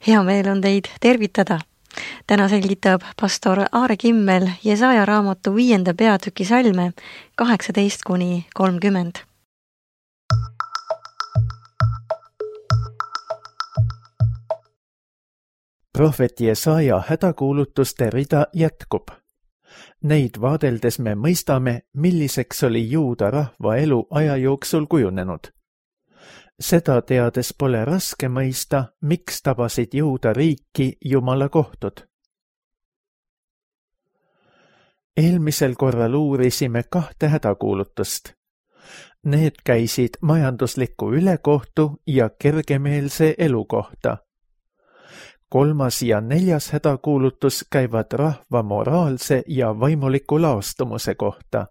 Hea meel on teid tervitada. Täna selgitab pastor Aare Kimmel Jesaja raamatu 5. peatüki salme 18-30. Prohvet Jesaja hädakuulutuste rida jätkub. Neid vaadeldes me mõistame, milliseks oli juuda rahva elu aja jooksul kujunenud. Seda teades pole raske mõista, miks tabasid juuda riiki Jumala kohtud. Eelmisel korral uurisime 2 hädakuulutust. Need käisid majandusliku ülekohtu ja kergemeelse elu kohta. 3. ja 4. hädakuulutus käivad rahva moraalse ja vaimuliku laostumuse kohta.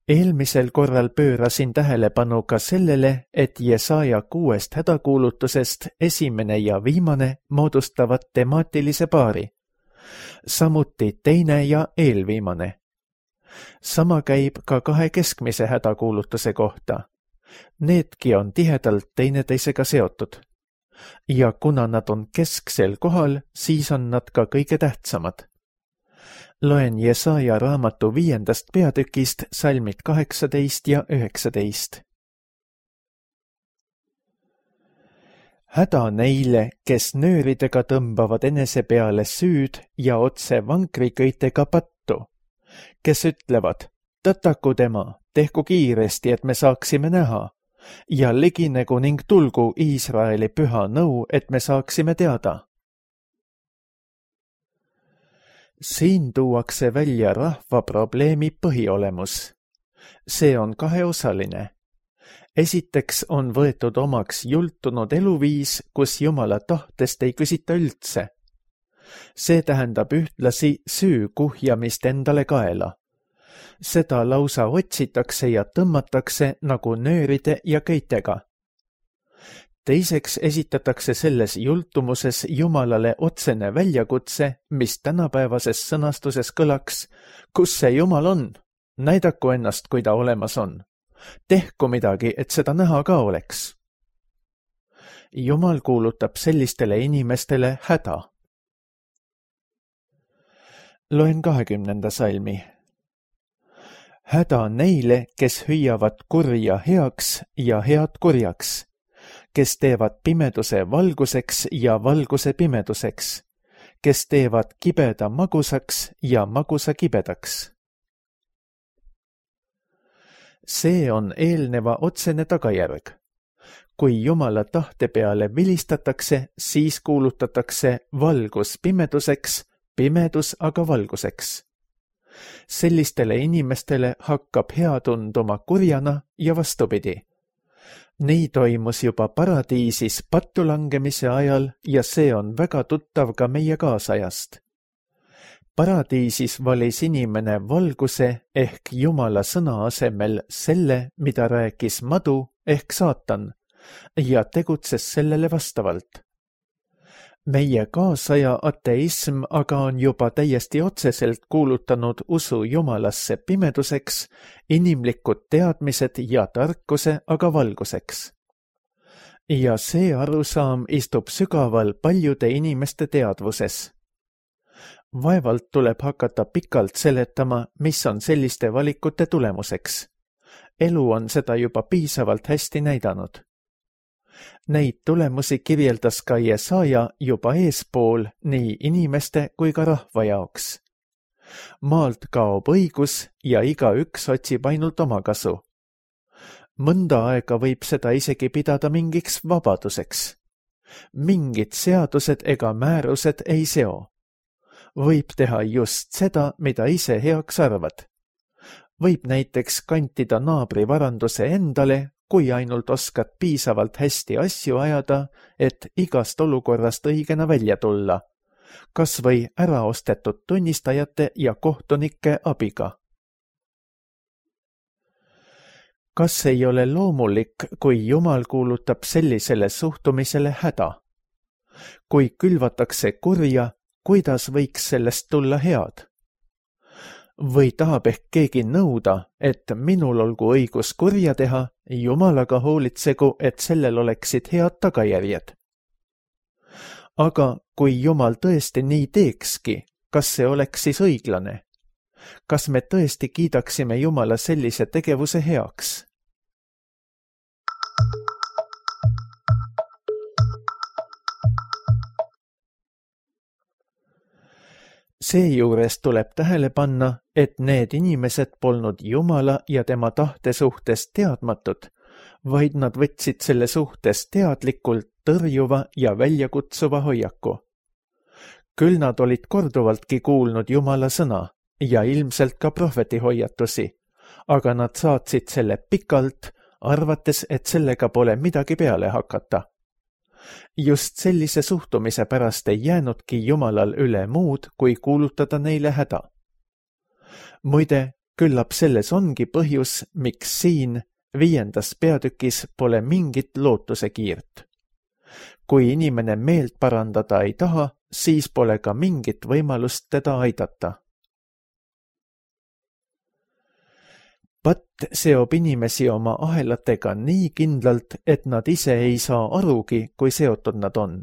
Eelmisel korral pöörasin tähelepanu ka sellele, et Jesaja 6 hädakuulutusest esimene ja viimane moodustavad temaatilise paari, samuti teine ja eelviimane. Sama käib ka 2 keskmise hädakuulutuse kohta. Needki on tihedalt teineteisega seotud. Ja kuna nad on kesksel kohal, siis on nad ka kõige tähtsamad. Loen Jesaja raamatu 5. peatükist salmid 18 ja 19. Häda neile, kes nööridega tõmbavad enese peale süüd ja otse vankriköitega pattu, kes ütlevad, tõtaku tema, tehku kiiresti, et me saaksime näha, ja liginegu ning tulgu Iisraeli püha nõu, et me saaksime teada. Siin tuuakse välja rahva probleemi põhiolemus. See on 2-osaline. Esiteks on võetud omaks jultunud eluviis, kus Jumala tahtest ei küsita üldse. See tähendab ühtlasi süü kuhjamist endale kaela. Seda lausa otsitakse ja tõmmatakse nagu nööride ja köitega. Teiseks esitatakse selles jultumuses Jumalale otsene väljakutse, mis tänapäevases sõnastuses kõlaks, kus see Jumal on, näidaku ennast, kui ta olemas on. Tehku midagi, et seda näha ka oleks. Jumal kuulutab sellistele inimestele häda. Loen 20. salmi. Häda neile, kes hüüavad kurja heaks ja head kurjaks, kes teevad pimeduse valguseks ja valguse pimeduseks, kes teevad kibeda magusaks ja magusa kibedaks. See on eelneva otsene tagajärg. Kui Jumala tahte peale vilistatakse, siis kuulutatakse valgus pimeduseks, pimedus aga valguseks. Sellistele inimestele hakkab hea tunduma kurjana ja vastupidi. Nii toimus juba paradiisis pattulangemise ajal ja see on väga tuttav ka meie kaasajast. Paradiisis valis inimene valguse ehk Jumala sõna asemel selle, mida rääkis madu ehk saatan, ja tegutses sellele vastavalt. Meie kaasaja ateism aga on juba täiesti otseselt kuulutanud usu Jumalasse pimeduseks, inimlikud teadmised ja tarkuse aga valguseks. Ja see arusaam istub sügaval paljude inimeste teadvuses. Vaevalt tuleb hakata pikalt seletama, mis on selliste valikute tulemuseks. Elu on seda juba piisavalt hästi näidanud. Neid tulemusi kirjeldas ka Jesaja juba eespool nii inimeste kui ka rahva jaoks. Maalt kaob õigus ja igaüks otsib ainult oma kasu. Mõnda aega võib seda isegi pidada mingiks vabaduseks. Mingid seadused ega määrused ei seo. Võib teha just seda, mida ise heaks arvad. Võib näiteks kantida naabri varanduse endale, kui ainult oskad piisavalt hästi asju ajada, et igast olukorrast õigena välja tulla, kas või äraostetud tunnistajate ja kohtunike abiga. Kas ei ole loomulik, kui Jumal kuulutab sellisele suhtumisele häda? Kui külvatakse kurja, kuidas võiks sellest tulla head? Või tahab ehk keegi nõuda, et minul olgu õigus kurja teha, Jumalaga hoolitsegu, et sellel oleksid head tagajärjed. Aga kui Jumal tõesti nii teekski, kas see oleks siis õiglane? Kas me tõesti kiidaksime Jumala sellise tegevuse heaks? Seejuures tuleb tähele panna, et need inimesed polnud Jumala ja tema tahte suhtes teadmatud, vaid nad võtsid selle suhtes teadlikult tõrjuva ja väljakutsuva hoiaku. Küll nad olid korduvaltki kuulnud Jumala sõna ja ilmselt ka prohveti hoiatusi, aga nad saatsid selle pikalt, arvates, et sellega pole midagi peale hakata. Just sellise suhtumise pärast ei jäänudki Jumalal üle muud, kui kuulutada neile häda. Muide, küllap selles ongi põhjus, miks siin 5. peatükis pole mingit lootusekiirt. Kui inimene meelt parandada ei taha, siis pole ka mingit võimalust teda aidata. Patt seob inimesi oma ahelatega nii kindlalt, et nad ise ei saa arugi, kui seotud nad on.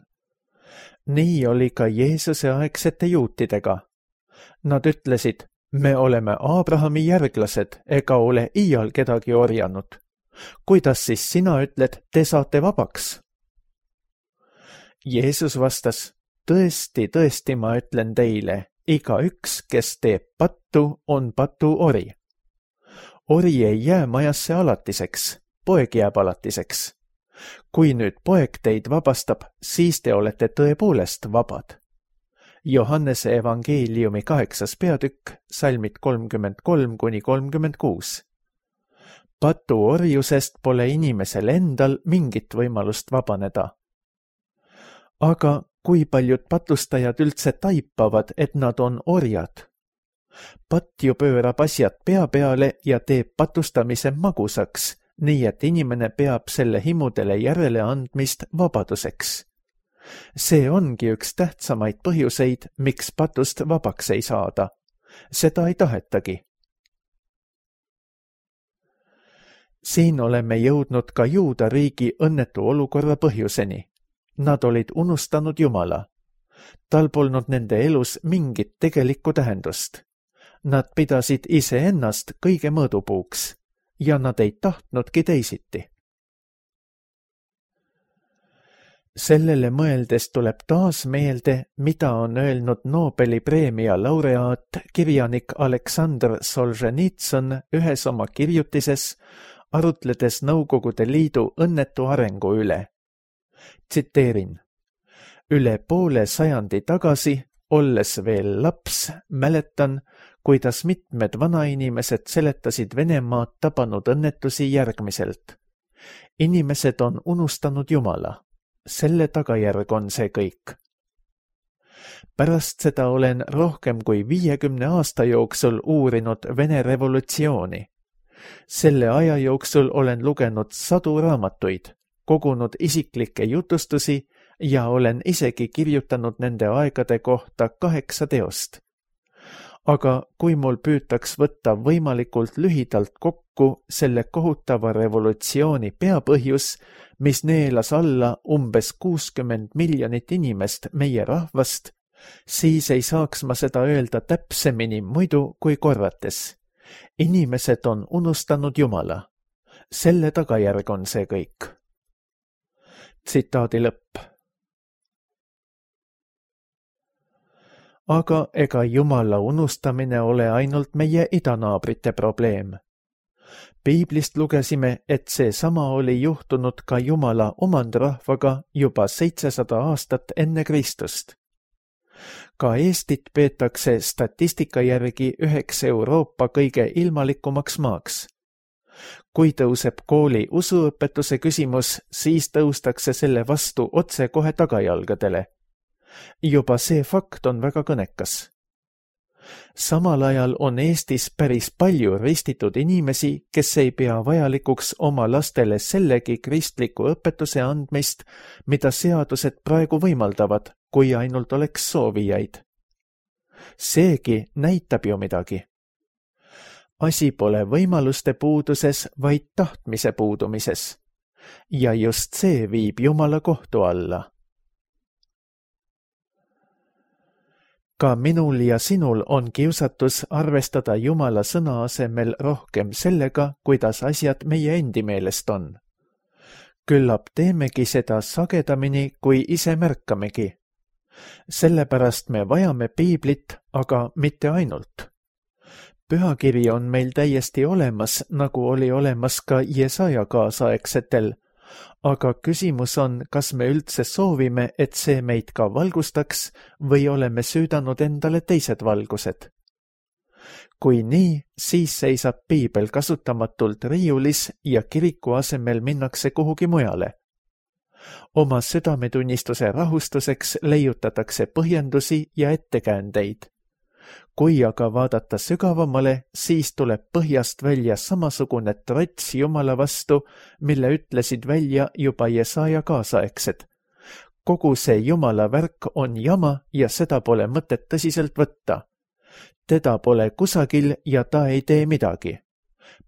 Nii oli ka Jeesuse aegsete juutidega. Nad ütlesid, me oleme Abrahami järglased ega ole iial kedagi orjanud. Kuidas siis sina ütled, te saate vabaks? Jeesus vastas, tõesti, tõesti ma ütlen teile, igaüks, kes teeb pattu, on patuori. Ori ei jää majasse alatiseks, poeg jääb alatiseks. Kui nüüd poeg teid vabastab, siis te olete tõepoolest vabad. Johannese evangeeliumi 8. peatükk, salmid 33–36. Patuorjusest pole inimesel endal mingit võimalust vabaneda. Aga kui paljud patustajad üldse taipavad, et nad on orjad? Patt ju pöörab asjad pea peale ja teeb patustamise magusaks, nii et inimene peab selle himudele järele andmist vabaduseks. See ongi üks tähtsamaid põhjuseid, miks patust vabaks ei saada. Seda ei tahetagi. Siin oleme jõudnud ka Juuda riigi õnnetu olukorra põhjuseni. Nad olid unustanud Jumala. Tal polnud nende elus mingit tegelikku tähendust. Nad pidasid iseennast kõige mõõdupuuks ja nad ei tahtnudki teisiti. Sellele mõeldes tuleb taas meelde, mida on öelnud Nobeli preemia laureaat kirjanik Aleksandr Solženitsõn ühes oma kirjutises, arutledes Nõukogude Liidu õnnetu arengu üle. Tsiteerin. Üle poole sajandi tagasi, olles veel laps, mäletan, kuidas mitmed vanainimesed seletasid Venemaad tabanud õnnetusi järgmiselt. Inimesed on unustanud Jumala. Selle tagajärg on see kõik. Pärast seda olen rohkem kui 50 aasta jooksul uurinud Vene revolutsiooni. Selle aja jooksul olen lugenud sadu raamatuid, kogunud isiklikke jutustusi ja olen isegi kirjutanud nende aegade kohta 8 teost. Aga kui mul püütaks võtta võimalikult lühidalt kokku selle kohutava revolutsiooni peapõhjus, mis neelas alla umbes 60 miljonit inimest meie rahvast, siis ei saaks ma seda öelda täpsemini muidu kui korrates. Inimesed on unustanud Jumala. Selle tagajärg on see kõik. Tsitaadi lõpp. Aga ega Jumala unustamine ole ainult meie idanaabrite probleem. Piiblist lugesime, et see sama oli juhtunud ka Jumala omandrahvaga juba 700 aastat enne Kristust. Ka Eestit peetakse statistika järgi üheks Euroopa kõige ilmalikumaks maaks. Kui tõuseb kooli usuõpetuse küsimus, siis tõustakse selle vastu otse kohe tagajalgadele. Juba see fakt on väga kõnekas. Samal ajal on Eestis päris palju ristitud inimesi, kes ei pea vajalikuks oma lastele sellegi kristliku õpetuse andmist, mida seadused praegu võimaldavad, kui ainult oleks soovijaid. Seegi näitab ju midagi. asi pole võimaluste puuduses, vaid tahtmise puudumises. Ja just see viib Jumala kohtu alla. Ka minul ja sinul on kiusatus arvestada Jumala sõna asemel rohkem sellega, kuidas asjad meie endi meelest on. Küllap teemegi seda sagedamini, kui ise märkamegi. Sellepärast me vajame piiblit, aga mitte ainult. Pühakiri on meil täiesti olemas, nagu oli olemas ka Jesaja kaasaegsetel, aga küsimus on, kas me üldse soovime, et see meid ka valgustaks või oleme süüdanud endale teised valgused. Kui nii, siis seisab piibel kasutamatult riiulis ja kiriku asemel minnakse kuhugi mujale. Oma südametunnistuse rahustuseks leiutatakse põhjendusi ja ettekäändeid. Kui aga vaadata sügavamale, siis tuleb põhjast välja samasugune trots Jumala vastu, mille ütlesid välja juba Jesaja kaasaegsed. Kogu see Jumala värk on jama ja seda pole mõtet tõsiselt võtta. Teda pole kusagil ja ta ei tee midagi.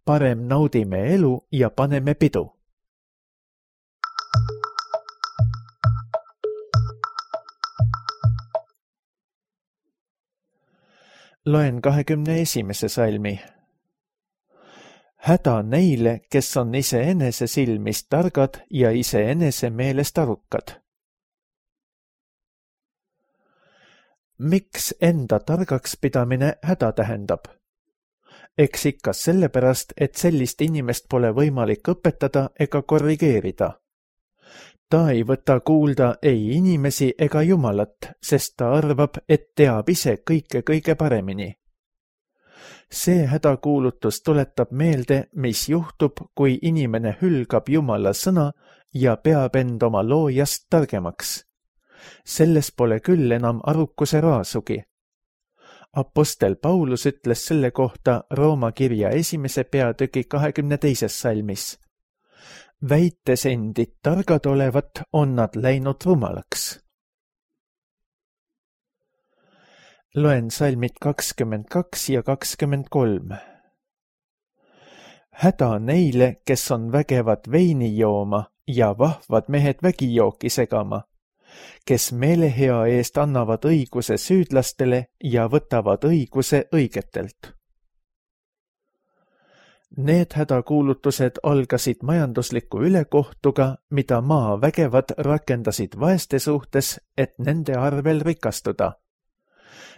Parem naudime elu ja paneme pidu. Loen 21. salmi. Häda neile, kes on iseenese silmist targad ja iseenese meelest arukad. Miks enda targaks pidamine häda tähendab? Eks ikka sellepärast, et sellist inimest pole võimalik õpetada ega korrigeerida. Ta ei võta kuulda ei inimesi ega Jumalat, sest ta arvab, et teab ise kõike kõige paremini. See hädakuulutus tuletab meelde, mis juhtub, kui inimene hülgab Jumala sõna ja peab end oma loojast targemaks. Selles pole küll enam arukuse raasugi. Apostel Paulus ütles selle kohta Rooma kirja 1. peatüki 22. salmis. Väites endid targad olevat, on nad läinud rumalaks. Loen salmid 22 ja 23. Häda neile, kes on vägevad veini jooma ja vahvad mehed vägijooki segama, kes meelehea eest annavad õiguse süüdlastele ja võtavad õiguse õigetelt. Need hädakuulutused algasid majandusliku ülekohtuga, mida maa vägevad rakendasid vaeste suhtes, et nende arvel rikastuda.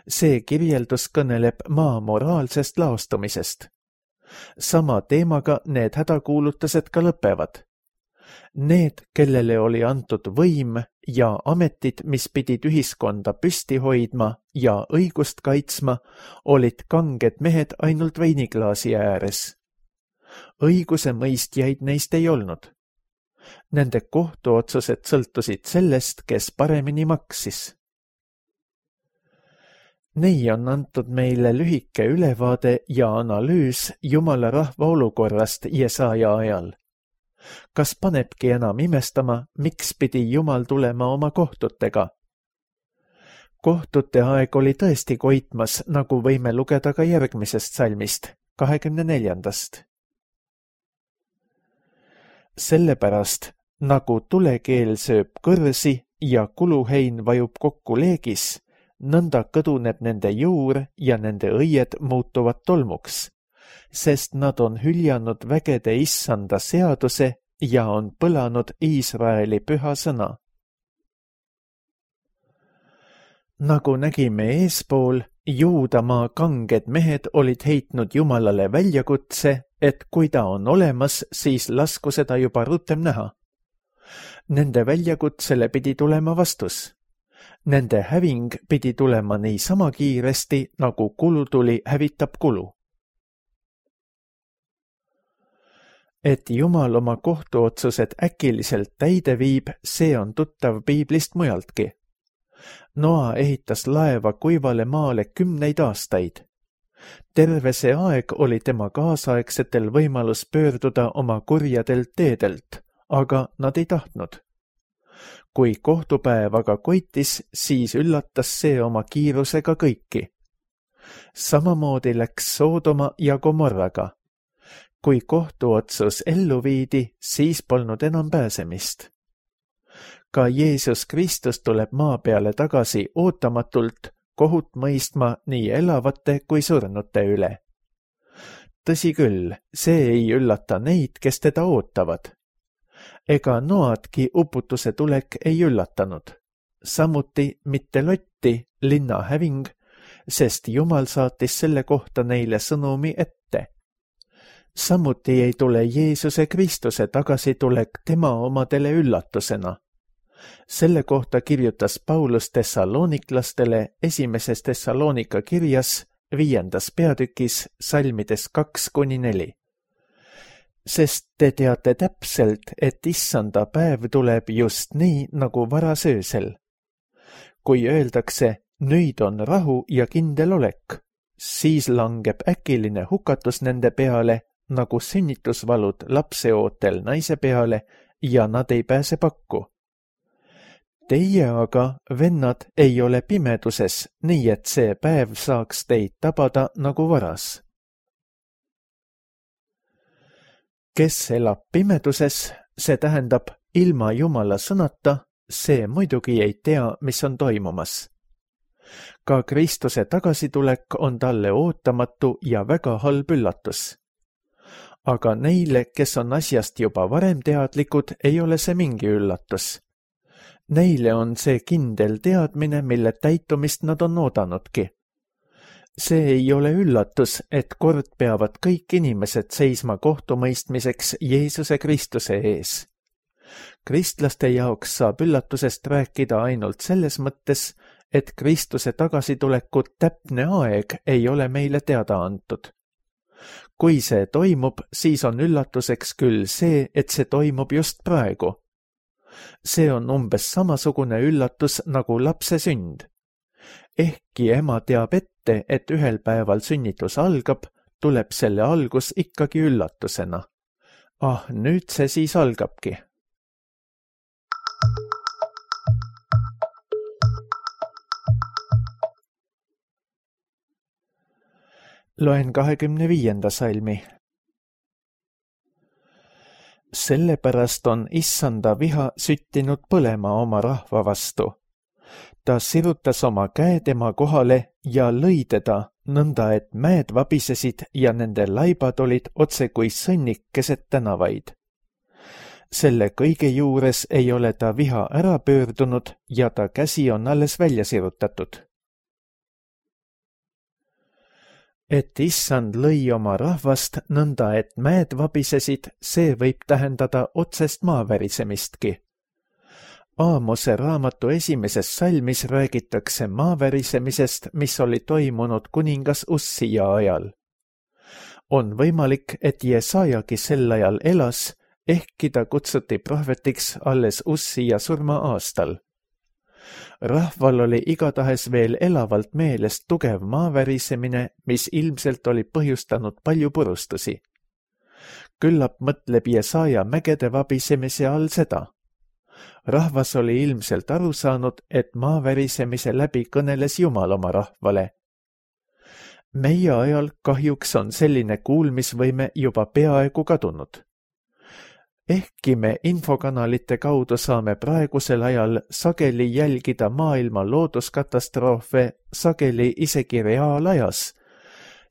See kirjeldus kõneleb maa moraalsest laostumisest. Sama teemaga need hädakuulutused ka lõpevad. Need, kellele oli antud võim ja ametid, mis pidid ühiskonda püsti hoidma ja õigust kaitsma, olid kanged mehed ainult veiniklaasi ääres. Õiguse mõistjaid neist ei olnud. Nende kohtuotsused sõltusid sellest, kes paremini maksis. Nii on antud meile lühike ülevaade ja analüüs Jumala rahva olukorrast Jesaja ajal. Kas panebki enam imestama, miks pidi Jumal tulema oma kohtutega? Kohtute aeg oli tõesti koitmas, nagu võime lugeda ka järgmisest salmist, 24. Sellepärast, nagu tulekeel sööb kõrsi ja kuluhein vajub kokku leegis, nõnda kõduneb nende juur ja nende õied muutuvad tolmuks, sest nad on hüljanud vägede issanda seaduse ja on põlanud Iisraeli püha sõna. Nagu nägime eespool, Juudamaa kanged mehed olid heitnud Jumalale väljakutse, et kui ta on olemas, siis lasku seda juba rutem näha. Nende väljakutsele pidi tulema vastus. Nende häving pidi tulema niisama kiiresti, nagu kulutuli hävitab kulu. Et Jumal oma kohtuotsused äkiliselt täide viib, see on tuttav piiblist mujaltki. Noa ehitas laeva kuivale maale 10 aastaid. Terve see aeg oli tema kaasaegsetel võimalus pöörduda oma kurjadelt teedelt, aga nad ei tahtnud. Kui kohtupäev aga koitis, siis üllatas see oma kiirusega kõiki. Samamoodi läks Soodoma ja Gomorraga. Kui kohtuotsus ellu viidi, siis polnud enam pääsemist. Ka Jeesus Kristus tuleb maa peale tagasi ootamatult kohut mõistma nii elavate kui surnute üle. Tõsi küll, see ei üllata neid, kes teda ootavad. Ega Noadki uputuse tulek ei üllatanud. Samuti mitte Lotti, linna häving, sest Jumal saatis selle kohta neile sõnumi ette. Samuti ei tule Jeesuse Kristuse tagasitulek tema omadele üllatusena. Selle kohta kirjutas Paulus Thessaloniklastele 1. Thessalonika kirjas 5. peatükis salmides 2-4. Sest te teate täpselt, et issanda päev tuleb just nii nagu varasöösel. Kui öeldakse, nüüd on rahu ja kindel olek, siis langeb äkiline hukatus nende peale, nagu sünnitusvalud lapseootel naise peale ja nad ei pääse pakku. Teie aga, vennad, ei ole pimeduses, nii et see päev saaks teid tabada nagu varas. Kes elab pimeduses, see tähendab ilma Jumala sõnata, see muidugi ei tea, mis on toimumas. Ka Kristuse tagasitulek on talle ootamatu ja väga halb üllatus. Aga neile, kes on asjast juba varem teadlikud, ei ole see mingi üllatus. Neile on see kindel teadmine, mille täitumist nad on oodanudki. See ei ole üllatus, et kord peavad kõik inimesed seisma kohtumõistmiseks Jeesuse Kristuse ees. Kristlaste jaoks saab üllatusest rääkida ainult selles mõttes, et Kristuse tagasituleku täpne aeg ei ole meile teada antud. Kui see toimub, siis on üllatuseks küll see, et see toimub just praegu. See on umbes samasugune üllatus nagu lapse sünd. Ehkki ema teab ette, et ühel päeval sünnitus algab, tuleb selle algus ikkagi üllatusena. Nüüd see siis algabki. Loen 25. salmi. Sellepärast on issanda viha süttinud põlema oma rahva vastu. Ta sirutas oma käe tema kohale ja lõi teda, nõnda et mäed vabisesid ja nende laibad olid otse kui sõnnik keset tänavaid. Selle kõige juures ei ole ta viha ära pöördunud ja ta käsi on alles välja sirutatud. Et issand lõi oma rahvast nõnda, et mäed vabisesid, see võib tähendada otsest maavärisemistki. Aamose raamatu 1. salmis räägitakse maavärisemisest, mis oli toimunud kuningas Ussia ajal. On võimalik, et Jesajagi sel ajal elas, ehkki ta kutsuti prohvetiks alles Ussia surma aastal. Rahval oli igatahes veel elavalt meelest tugev maavärisemine, mis ilmselt oli põhjustanud palju purustusi. Küllap mõtleb Jesaja mägede vabisemise all seda. Rahvas oli ilmselt aru saanud, et maavärisemise läbi kõneles Jumal oma rahvale. Meie ajal kahjuks on selline kuulmisvõime juba peaaegu kadunud. Ehkki me infokanalite kaudu saame praegusel ajal sageli jälgida maailma looduskatastroofe, sageli isegi reaalajas,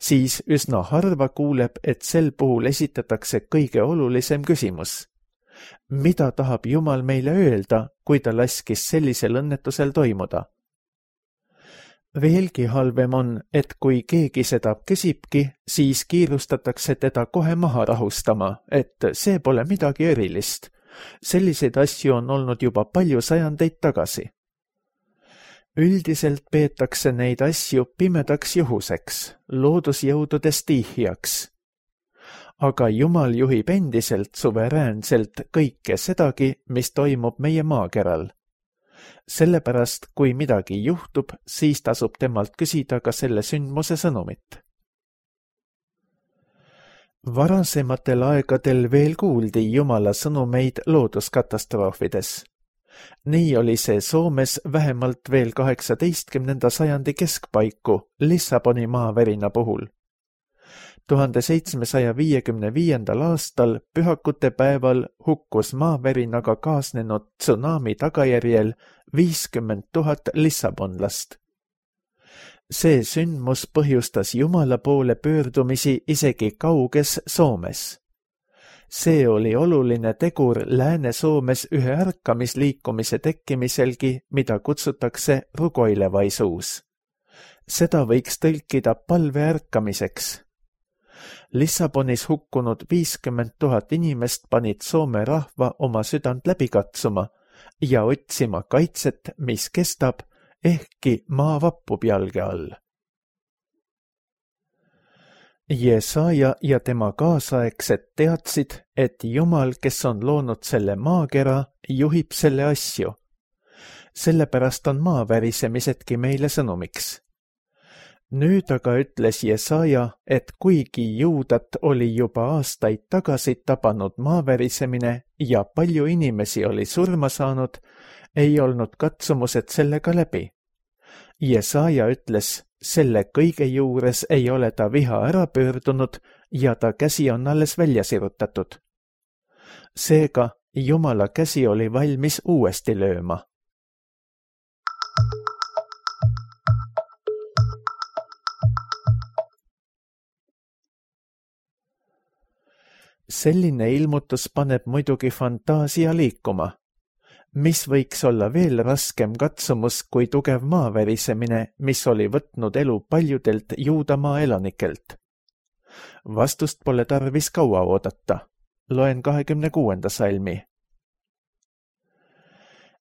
siis üsna harva kuuleb, et sel puhul esitatakse kõige olulisem küsimus. Mida tahab Jumal meile öelda, kui ta laskis sellisel õnnetusel toimuda? Veelgi halvem on, et kui keegi seda küsibki, siis kiirustatakse teda kohe maha rahustama, et see pole midagi erilist. Selliseid asju on olnud juba palju sajandeid tagasi. Üldiselt peetakse neid asju pimedaks juhuseks, loodusjõudude stiihjaks. Aga Jumal juhib endiselt suveräänselt kõike sedagi, mis toimub meie maakeral. Sellepärast, kui midagi juhtub, siis tasub temalt küsida ka selle sündmuse sõnumit. Varasematel aegadel veel kuuldi Jumala sõnumeid looduskatastroofides. Nii oli see Soomes vähemalt veel 18. sajandi keskpaiku Lissaboni maavärina puhul. 1755. aastal pühakute päeval hukkus maavärinaga kaasnenud tsunami tagajärjel 50 000 lissabonlast. See sündmus põhjustas Jumala poole pöördumisi isegi kauges Soomes. See oli oluline tegur Lääne-Soomes ühe ärkamisliikumise tekkimiselgi, mida kutsutakse rugoilevaisuus. Seda võiks tõlkida palve ärkamiseks. Lissabonis hukkunud 50 000 inimest panid Soome rahva oma südant läbi katsuma ja otsima kaitset, mis kestab, ehkki maa vappub jalge all. Jesaja ja tema kaasaegsed teadsid, et Jumal, kes on loonud selle maakera, juhib selle asju. Sellepärast on maa värisemisedki meile sõnumiks. Nüüd aga ütles Jesaja, et kuigi Juudat oli juba aastaid tagasi tabanud maavärisemine ja palju inimesi oli surma saanud, ei olnud katsumused sellega läbi. Jesaja ütles, selle kõige juures ei ole ta viha ära pöördunud ja ta käsi on alles välja sirutatud. Seega Jumala käsi oli valmis uuesti lööma. Selline ilmutus paneb muidugi fantaasia liikuma. Mis võiks olla veel raskem katsumus kui tugev maavärisemine, mis oli võtnud elu paljudelt Juudamaa elanikelt? Vastust pole tarvis kaua oodata. Loen 26. salmi.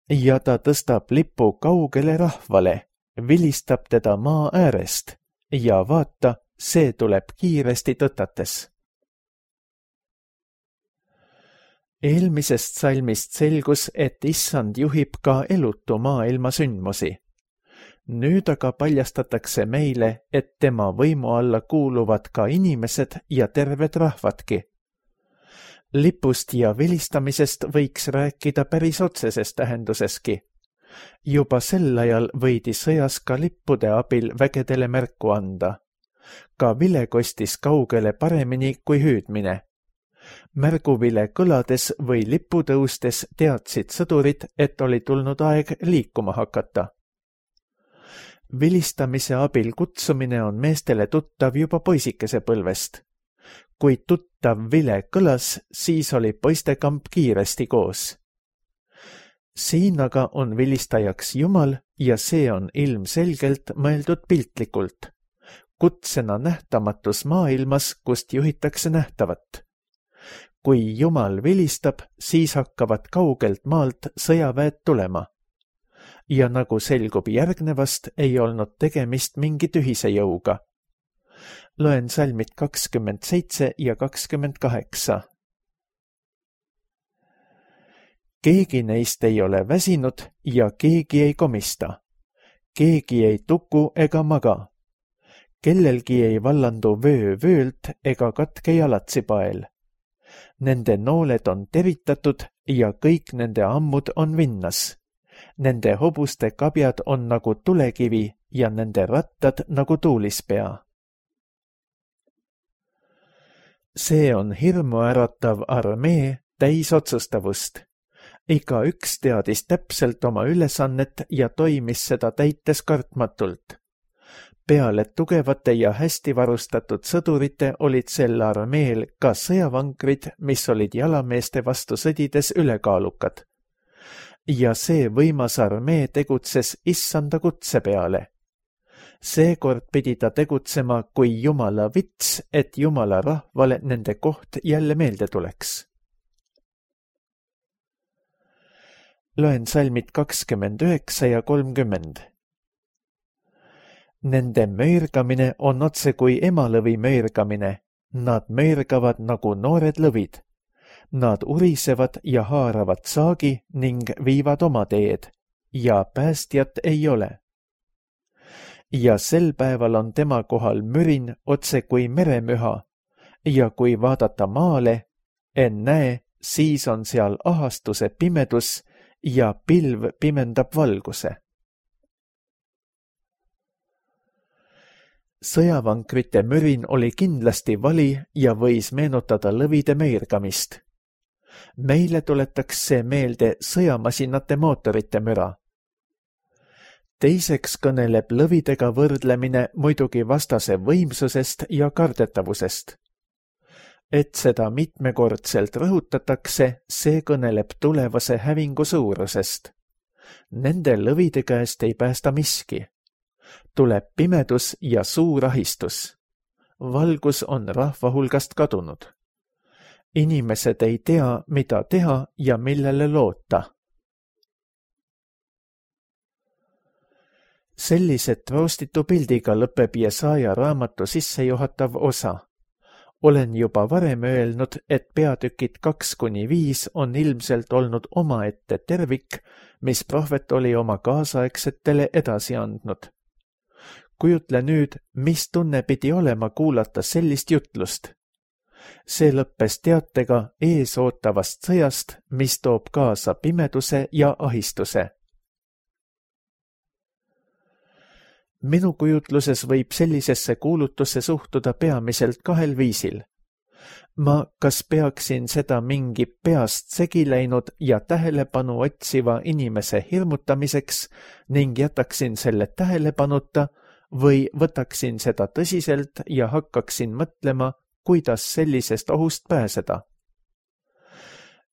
Ja ta tõstab lipu kaugele rahvale, vilistab teda maa äärest ja vaata, see tuleb kiiresti tõtates. Eelmisest salmist selgus, et Issand juhib ka elutu maailma sündmusi. Nüüd aga paljastatakse meile, et tema võimu alla kuuluvad ka inimesed ja terved rahvadki. Lipust ja vilistamisest võiks rääkida päris otseses tähenduseski. Juba sel ajal võidi sõjas ka lippude abil vägedele märku anda. Ka vile kostis kaugele paremini kui hüüdmine. Märguvile kõlades või lipu tõustes teadsid sõdurid, et oli tulnud aeg liikuma hakata. Vilistamise abil kutsumine on meestele tuttav juba poisikese põlvest. Kui tuttav vile kõlas, siis oli poistekamp kiiresti koos. Siin aga on vilistajaks Jumal ja see on ilmselgelt mõeldud piltlikult. Kutsena nähtamatus maailmas, kust juhitakse nähtavat. Kui Jumal vilistab, siis hakkavad kaugelt maalt sõjaväed tulema. Ja nagu selgub järgnevast, ei olnud tegemist mingi tühise jõuga. Loen salmid 27 ja 28. Keegi neist ei ole väsinud ja keegi ei komista. Keegi ei tuku ega maga. Kellelgi ei vallandu vöö vöölt ega katke jalatsipael. Nende nooled on teritatud ja kõik nende ammud on vinnas. Nende hobuste kabjad on nagu tulekivi ja nende rattad nagu tuulispea. See on hirmuäratav armee täis otsustavust. Iga üks teadis täpselt oma ülesannet ja toimis seda täites kartmatult. Peale tugevate ja hästi varustatud sõdurite olid sel armeel ka sõjavankrid, mis olid jalameeste vastu sõdides ülekaalukad. Ja see võimas armee tegutses Issanda kutse peale. Seekord pidi ta tegutsema kui Jumala vits, et Jumala rahvale nende koht jälle meelde tuleks. Loen salmid 29 ja 30. Nende möirgamine on otse kui emalõvi möirgamine. Nad möirgavad nagu noored lõvid. Nad urisevad ja haaravad saagi ning viivad oma teed ja päästjat ei ole. Ja sel päeval on tema kohal mürin otse kui meremüha ja kui vaadata maale, ennäe, siis on seal ahastuse pimedus ja pilv pimendab valguse. Sõjavankrite mürin oli kindlasti vali ja võis meenutada lõvide meirgamist. Meile tuletaks see meelde sõjamasinate mootorite müra. Teiseks kõneleb lõvidega võrdlemine muidugi vastase võimsusest ja kardetavusest. Et seda mitmekordselt rõhutatakse, see kõneleb tulevase hävingu suurusest. Nende lõvide käest ei päästa miski. Tuleb pimedus ja suur ahistus. Valgus on rahva hulgast kadunud. Inimesed ei tea, mida teha ja millele loota. Sellise troostitu pildiga lõpeb Jesaja raamatu sissejuhatav osa. Olen juba varem öelnud, et peatükid 2-5 on ilmselt olnud omaette tervik, mis prohvet oli oma kaasaegsetele edasi andnud. Kujutle nüüd, mis tunne pidi olema kuulata sellist jutlust. See lõppes teatega ees ootavast sõjast, mis toob kaasa pimeduse ja ahistuse. Minu kujutluses võib sellisesse kuulutusse suhtuda peamiselt 2 viisil. Ma kas peaksin seda mingi peast segi läinud ja tähelepanu otsiva inimese hirmutamiseks ning jätaksin selle tähelepanuta või võtaksin seda tõsiselt ja hakkaksin mõtlema, kuidas sellisest ohust pääseda.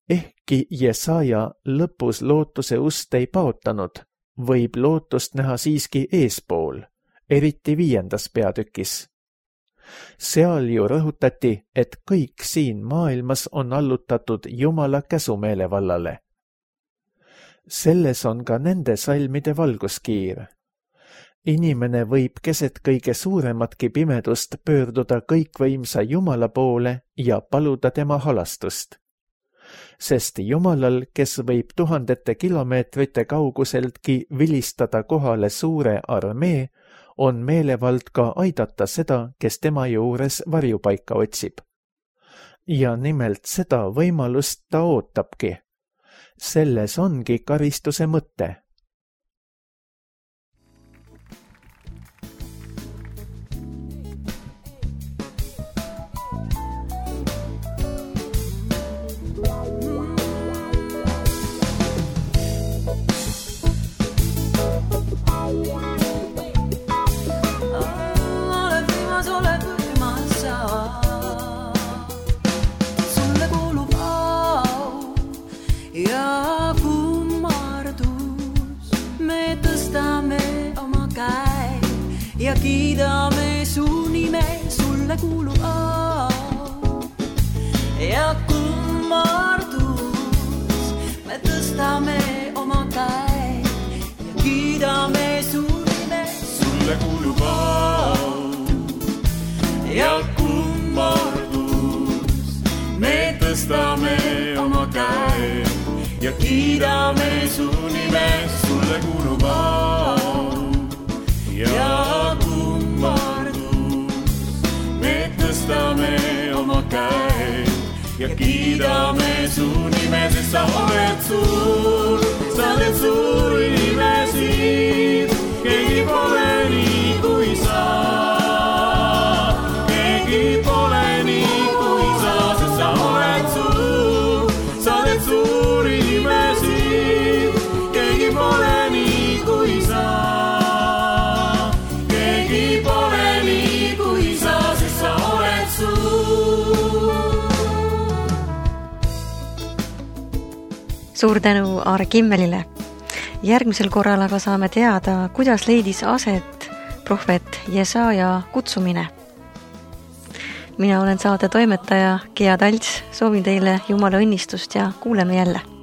Ehkki Jesaja lõpus lootuse ust ei paotanud, võib lootust näha siiski eespool, eriti 5. peatükis. Seal ju rõhutati, et kõik siin maailmas on allutatud Jumala käsumeelevallale. Selles on ka nende salmide valguskiir. Inimene võib keset kõige suurematki pimedust pöörduda kõikvõimsa Jumala poole ja paluda tema halastust. Sest Jumalal, kes võib 1000 kilomeetrite kauguseltki vilistada kohale suure armee, on meelevald ka aidata seda, kes tema juures varjupaika otsib. Ja nimelt seda võimalust ta ootabki. Selles ongi karistuse mõte. Ja kiidame su nime, sulle kuulub au ja kummardus. Me tõstame oma käe ja kiidame su nime, sulle kuulub au ja kummardus. Me tõstame oma käe ja kiidame su nime, sulle kuulub au ja kummardus. Me tõstame oma käe ja kiidame su nime, sest sa oled suur, sa teed suuri imesid. Keegi pole nii kui sa, keegi pole nii kui sa, sest sa oled suur, sa teed suuri imesid. Keegi pole nii kui sa. Suur tänu Aare Kimmelile. Järgmisel korral aga saame teada, kuidas leidis aset prohvet Jesaja kutsumine. Mina olen saate toimetaja Gea Talts, soovin teile Jumala õnnistust ja kuuleme jälle.